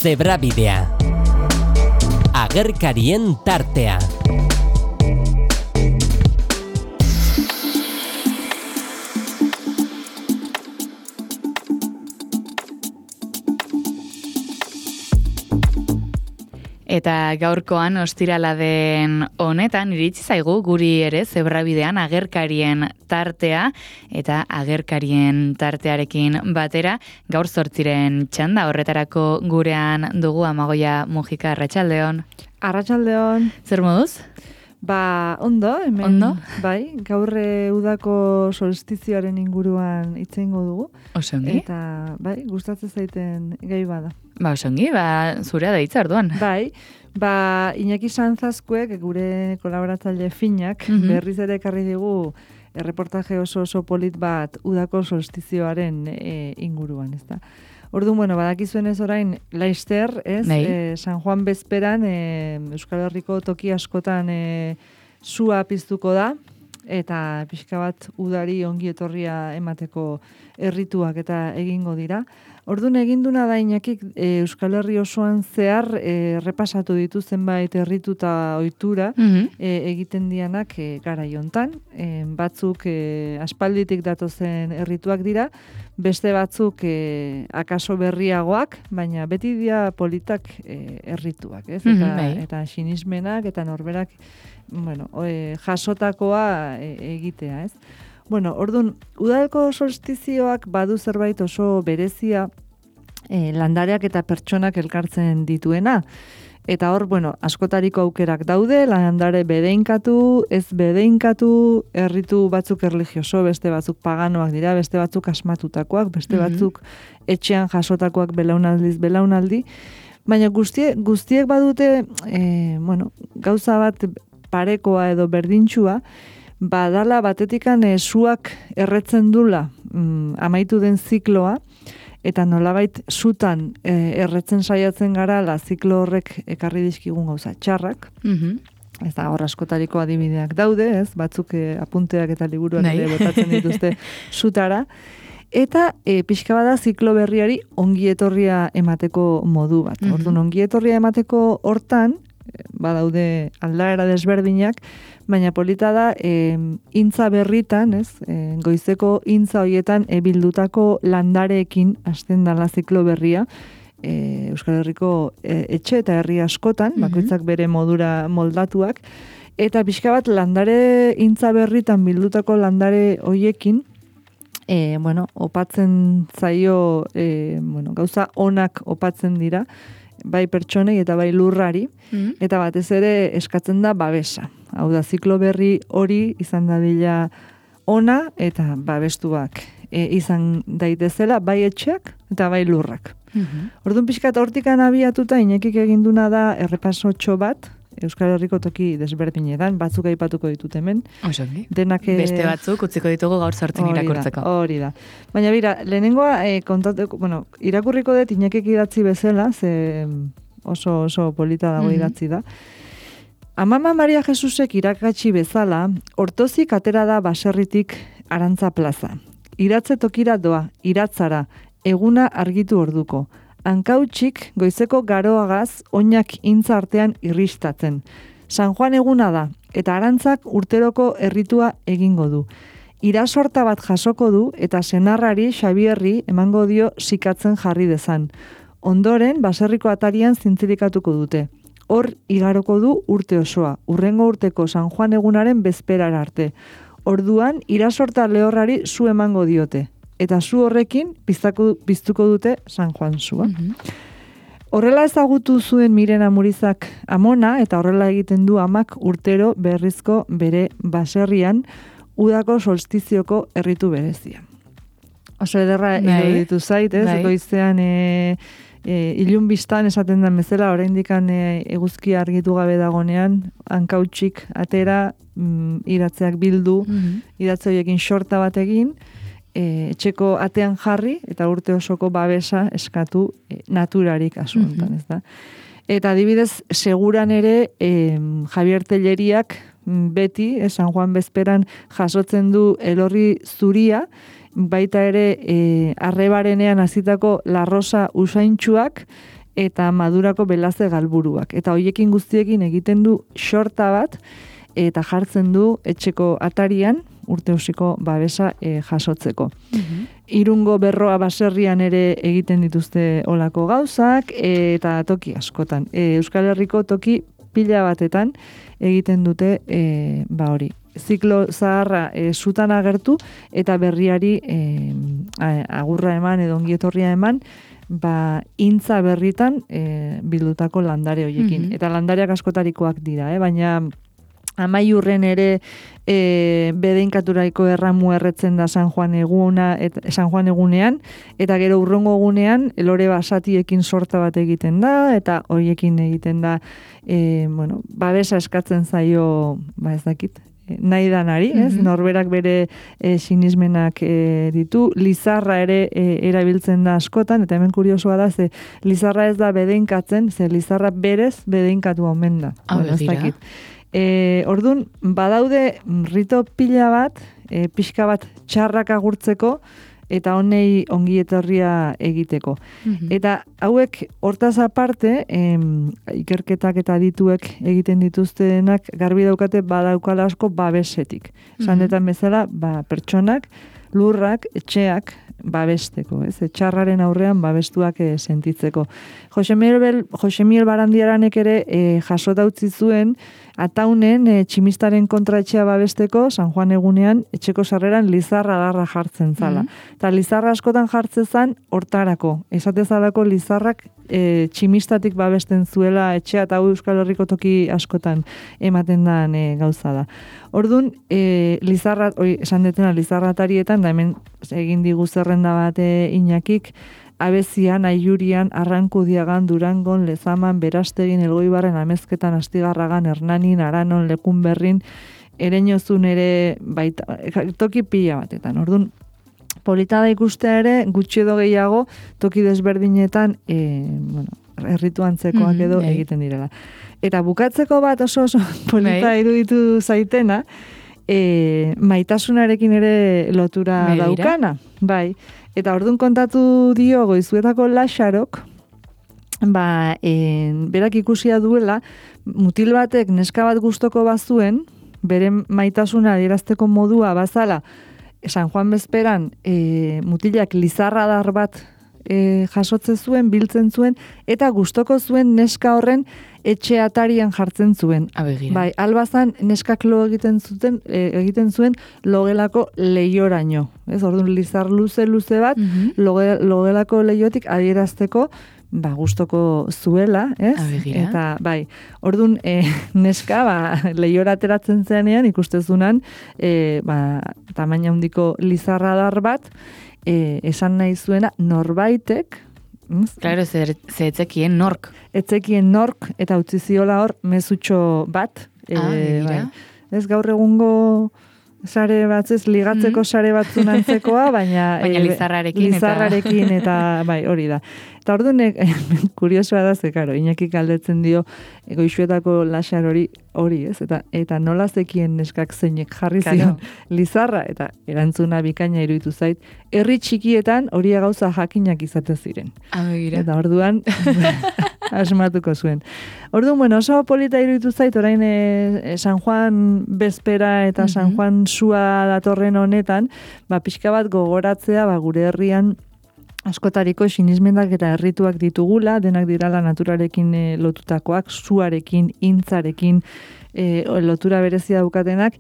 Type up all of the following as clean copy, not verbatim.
Zebrabidea. Agerkarien tartea. Eta gaurkoan ostirala den honetan iritsi zaigu guri ere Zebrabidean agerkarien tartea eta agerkarien tartearekin batera gaur 8 txanda horretarako gurean dugu Amagoia Mujika. Arratsaldeon. Arratsaldeon. Zer moduz? Ondo, hemen. Ondo? Bai, gaur udako solstizioaren inguruan hitz egingo dugu. Oso ongi. Eta bai, gustatzen zaiten gai bada. Oso ongi, zurea da hitza orduan. Bai, Iñaki Sanzazkuek, gure kolaboratzaile finak, berriz ere ekarri digu erreportaje oso polit bat udako solstizioaren inguruan, ezta? Orduan, badakizuen ez orain, Laster, ez? San Juan bezperan, Euskal Herriko toki askotan sua piztuko da, eta pixka bat udari ongi etorria emateko errituak eta egingo dira. Orduan eginduna da Iñakik Euskal Herri osoan zehar repasatu ditu zenbait erritu eta ohitura egiten dianak garai hontan. Batzuk aspalditik datozen errituak dira, beste batzuk akaso berriagoak, baina beti dira politak errituak, ez? Eta sinismenak eta norberak jasotakoa egitea, ez? Orduan, udako solstizioak badu zerbait oso berezia landareak eta pertsonak elkartzen dituena. Eta hor, askotariko aukerak daude, landare bedeinkatu, ez bedeinkatu, erritu batzuk erlijioso, beste batzuk paganoak dira, beste batzuk asmatutakoak, beste batzuk etxean jasotakoak belaunaldiz belaunaldi. Baina guztiek badute, gauza bat parekoa edo berdintxua, badala batetikan suak erretzen dula amaitu den zikloa, eta nolabait zutan erretzen saiatzen gara la ziklo horrek ekarri dizkigun gauza txarrak. Ez da hor askotariko adibideak daude, ez? Batzuk apunteak eta liburuak ere botatzen dituzte zutara. Eta pixka bada ziklo berriari ongi etorria emateko modu bat. Orduan ongi etorria emateko hortan, badaude aldaera desberdinak, baina polita da intza berritan, ez? Goizeko intza hoietan bildutako landareekin hasten dala ziklo berria, Euskal Herriko etxe eta herri askotan, bakoitzak bere modura moldatuak, eta pixka bat landare intza berritan bildutako landare hoiekin, opatzen zaio, gauza onak opatzen dira, bai pertsonei eta bai lurrari, eta batez ere eskatzen da babesa. Hau da, ziklo berri hori izan dadila ona eta babestuak izan daitezela, bai etxeak eta bai lurrak. Orduan pixkat hortikan abiatuta, Iñakik eginduna da errepasotxo bat, Euskal Herriko toki desberdinetan, batzuk aipatuko ditut hemen. Denak, beste batzuk utziko ditugu gaur 8 irakurtzeko. Hori da. Baina bira, lehenengoa irakurriko dut Iñakik idatzi bezala, ze oso polita dago idatzi da. Amama Maria Jesusek irakatsi bezala, Hortozik atera da baserritik Arantza plaza. Iratze tokira doa, iratzara, eguna argitu orduko. Hankautsik goizeko garoagaz oinak intza artean irristatzen. San Juan eguna da, eta Arantzak urteroko erritua egingo du. Irasorta bat jasoko du, eta senarrari Xabierri emango dio sikatzen jarri dezan. Ondoren, baserriko atarian zintzilikatuko dute. Hor igaroko du urte osoa, urrengo urteko San Juan egunaren bezperara arte. Orduan, irasorta lehorrari zu emango diote. Eta zu horrekin piztuko dute San Juan zua. Horrela ezagutu zuen Miren Amurizak amona, eta horrela egiten du amak urtero berrizko bere baserrian udako solstizioko erritu berezia. Oso ederra iruditu zait, ez? Goizean ilun biztan esaten den bezala, oraindikan eguzkia argitu gabe dagonean, hankautsik atera, iratzeak bildu, iratze horiekin xorta bat egin, etxeko atean jarri eta urte osoko babesa eskatu naturarik asuntan, ez da. Eta adibidez, seguran ere Javier Telleriak beti, San Juan bezperan jasotzen du elorri zuria, baita ere arrebarenean hasitako larrosa usaintxuak, eta madurako belaze galburuak. Eta hoiekin guztiekin egiten du xorta bat, eta jartzen du etxeko atarian, urteusiko babesa jasotzeko. Irungo berroa baserrian ere egiten dituzte olako gauzak, eta toki askotan. Euskal Herriko toki pila batetan egiten dute hori. Ziklo zaharra zutan agertu, eta berriari agurra eman edo ongietorria eman, intza berritan bildutako landare hoiekin. Eta landareak askotarikoak dira, baina amaiurren ere bedeinkaturaiko erramu erretzen da San Juan egunean, eta gero urrongo egunean lore basatiekin sorta bat egiten da, eta horiekin egiten da, babesa eskatzen zaio, ez dakit, nahi danari, ez? Norberak bere sinismenak ditu, lizarra ere erabiltzen da askotan, eta hemen kuriosoa da, ze lizarra ez da bedeinkatzen, ze lizarra berez bedeinkatu omen da. Ez dakit. Orduan, badaude rito pila bat, pixka bat txarrak agurtzeko, eta honei ongi etorria egiteko. Eta hauek hortaz aparte, ikerketak eta dituek egiten dituztenak garbi daukate badaukala asko babesetik. Sandetan bezala, pertsonak, lurrak, etxeak babesteko, ez? Txarraren aurrean babestuak sentitzeko. Jose Miel Barandiaranek ere jasota utzi zuen Ataunen tximistaren kontra etxea babesteko San Juan egunean etxeko sarreran lizarra adarra jartzen zala. Eta lizarra askotan jartzen zan hortarako. Esatezalako lizarrak tximistatik babesten zuela etxea, eta Euskal Herriko toki askotan ematen dan gauza da. Orduan, esan detena lizarratarietan, da hemen egin digu zerrenda bat Iñakik, Abezian, Aiurian, Arrankudiagan, Durangon, Lezaman, Berastegin, Elgoibarren, Amezketan, Astigarragan, Hernanin, Aranon, Lekunberrin, Ereñozun ere, toki pila batetan. Orduan, polita da ikustea ere, gutxi edo gehiago, toki desberdinetan, erritu antzekoak edo egiten direla. Eta bukatzeko bat oso polita iruditu zaitena, maitasunarekin ere lotura daukana. Bai. Eta orduan kontatu dio Goizuetako Laxarok, berak ikusia duela, mutil batek neska bat gustoko bazuen, bere maitasuna adierazteko modua bazala, San Juan bezperan mutilak lizarradar bat jasotze zuen, biltzen zuen, eta gustoko zuen neska horren etxe atarian jartzen zuen. Bai, albazan neskak lo egiten zuen logelako leioraino. Ez, orduan lizar luze bat, logelako leiotik adierazteko, gustoko zuela, ez? Eta, bai, orduan neska, leiora ateratzen zenean, ikustezunan, tamaina handiko lizarradar bat, esan nahi zuena norbaitek, Claro, ze etzekien nork. Etzekien nork, eta utzi ziola hor mezutxo bat. Ez gaur egungo sare batzez, ligatzeko sare batzun antzekoa, baina lizarrarekin eta bai, hori da. Eta orduan, kuriosoa da, ze, karo, Iñaki galdetzen dio Goizuetako Laxar hori, ez? Eta nola zekien neskak zeinek jarri zion lizarra, eta erantzuna bikaina iruditu zait, herri txikietan hori gauza jakinak izate ziren. Eta orduan, asmatuko zuen. Orduan, oso polita iruditu zait, orain San Juan bezpera eta San Juan sua datorren honetan, pixka bat gogoratzea, gure herrian askotariko sinismendak eta errituak ditugula, denak dirala naturarekin lotutakoak, suarekin, intzarekin lotura berezia daukatenak,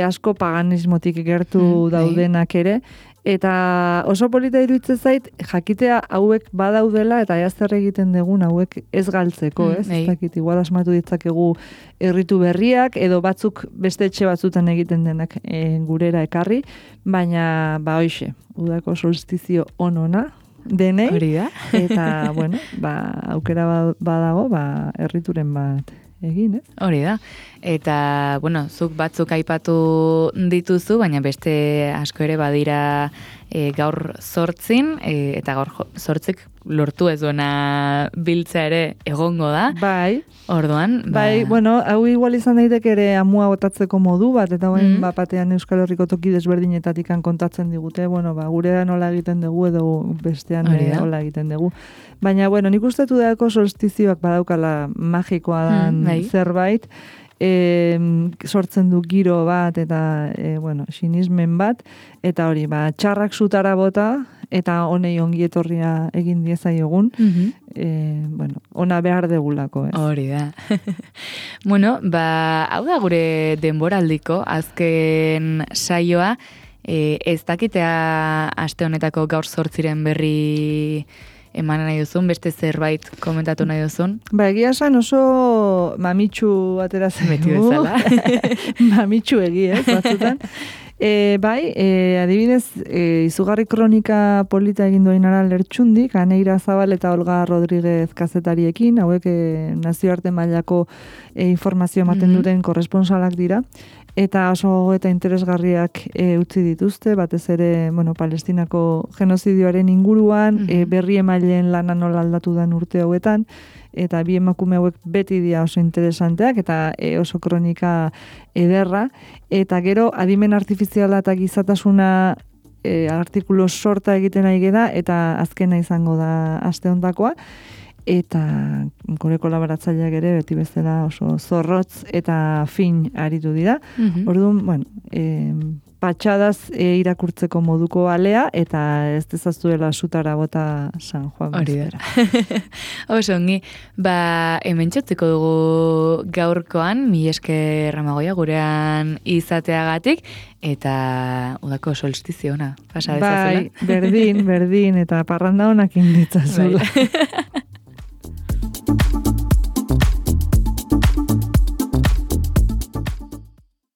asko paganismotik gertu daudenak ere, eta oso polita iruditzen zait, jakitea hauek badaudela eta zer egiten dugun hauek ez galtzeko, ez? Ez dakit, igual asmatu ditzakegu erritu berriak, edo batzuk beste etxe batzutan egiten denak gurera ekarri, baina, hoixe, udako solstizio onona denei, eta, bueno, aukera badago, errituren bat egin, ez? Hori da. Eta, bueno, zuk batzuk aipatu dituzu, baina beste asko ere badira gaur 8, eta gaur 8 lortu ez duena biltza ere egongo da. Bai. Orduan, Bai, bueno, hau igual izan daiteke ere amua botatzeko modu bat, eta batean Euskal Herriko toki desberdinetatik kontatzen digute, bueno, gurean nola egiten dugu edo bestean nola egiten dugu. Baina, bueno, nik ustetu dako solstizioak badaukala magikoa dan zerbait, sortzen du giro bat eta bueno, sinismen bat, eta hori, txarrak zutara bota, eta honei ongi etorria egin diezaiogun, bueno, ona behar degulako, ez? Hori da. Bueno, hau da gure denboraldiko, azken saioa, ez dakitea aste honetako gaur 8 berri eman nahi duzun, beste zerbait komentatu nahi duzun? Egia esan oso mamitsu ateratzen beti bezala. Mamitsu ez, batzutan. Adibidez, izugarri kronika polita egin doinara Lertxundik, Aneira Zabal eta Olga Rodríguez kazetariekin, hauek nazioarte mailako informazio ematen duten korresponsalak dira, eta oso eta interesgarriak utzi dituzte, batez ere, bueno, Palestinako genozidioaren inguruan, berri emaileen lana nola aldatu den urte hauetan, eta bi emakume hauek beti dira oso interesanteak, eta oso kronika ederra, eta gero adimen artifiziala eta gizatasuna artikulu sorta egiten ari da, eta azkena izango da aste hontakoa, eta gure kolaboratzaileak ere beti bezala oso zorrotz eta fin aritu dira. Orduan, bueno, patxadaz irakurtzeko moduko alea, eta ez dezaztuela sutara bota San Juan bezpera. Oso ongi, hemen txotziko dugu gaurkoan, mila esker Amagoia gurean izateagatik, eta udako solstizio ona, pasa dezazula. Berdin, eta parranda honak inditzazula.